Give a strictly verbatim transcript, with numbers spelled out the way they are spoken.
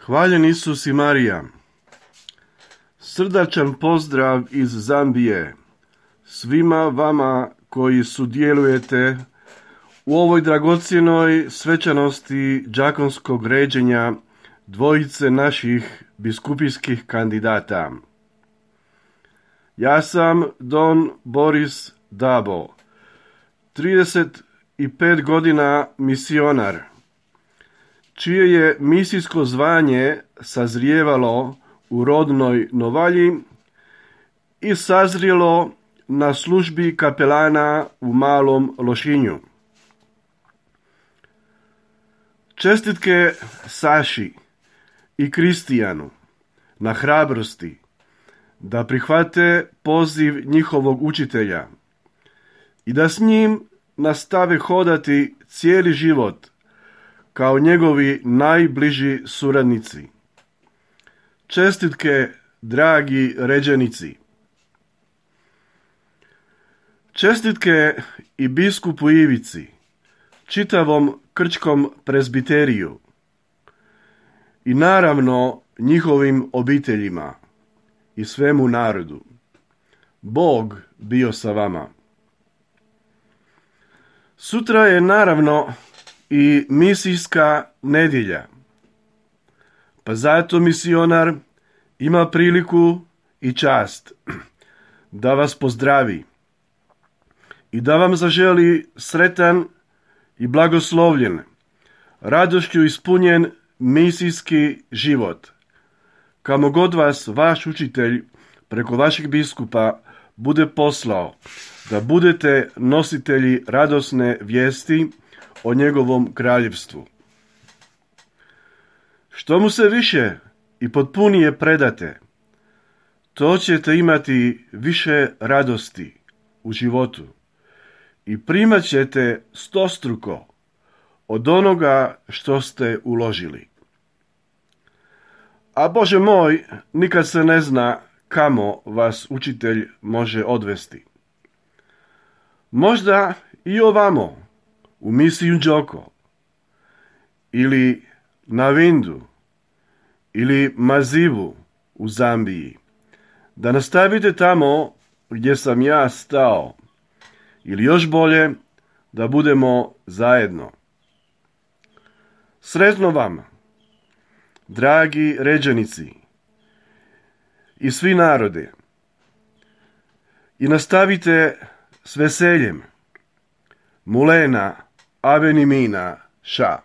Hvaljen Isus i Marija. Srdačan pozdrav iz Zambije svima vama koji sudjelujete u ovoj dragocjenoj svečanosti đakonskog ređenja dvojice naših biskupijskih kandidata. Ja sam Don Boris Dabo, trideset pet godina misionar, čije je misijsko zvanje sazrijevalo u rodnoj Novalji i sazrijelo na službi kapelana u Malom Lošinju. Čestitke Saši i Kristijanu na hrabrosti da prihvate poziv njihovog učitelja i da s njim nastave hodati cijeli život kao njegovi najbliži suradnici. Čestitke, dragi ređenici. Čestitke i biskupu Ivici, čitavom krčkom prezbiteriju i naravno njihovim obiteljima i svemu narodu. Bog bio sa vama. Sutra je naravno i misijska nedjelja, pa zato misionar ima priliku i čast da vas pozdravi i da vam zaželi sretan i blagoslovljen, radošću ispunjen misijski život, kamo god vas vaš učitelj preko vašeg biskupa bude poslao, da budete nositelji radosne vijesti o njegovom kraljevstvu. Što mu se više i potpunije predate, to ćete imati više radosti u životu i primat ćete stostruko od onoga što ste uložili. A Bože moj, nikad se ne zna kamo vas učitelj može odvesti. Možda i ovamo, u misiju Njoko, ili na Vindu, ili Mazivu u Zambiji, da nastavite tamo gdje sam ja stao, ili još bolje, da budemo zajedno. Sretno vam, dragi ređenici i svi narode, i nastavite s veseljem. Mulena Avenimina Ša.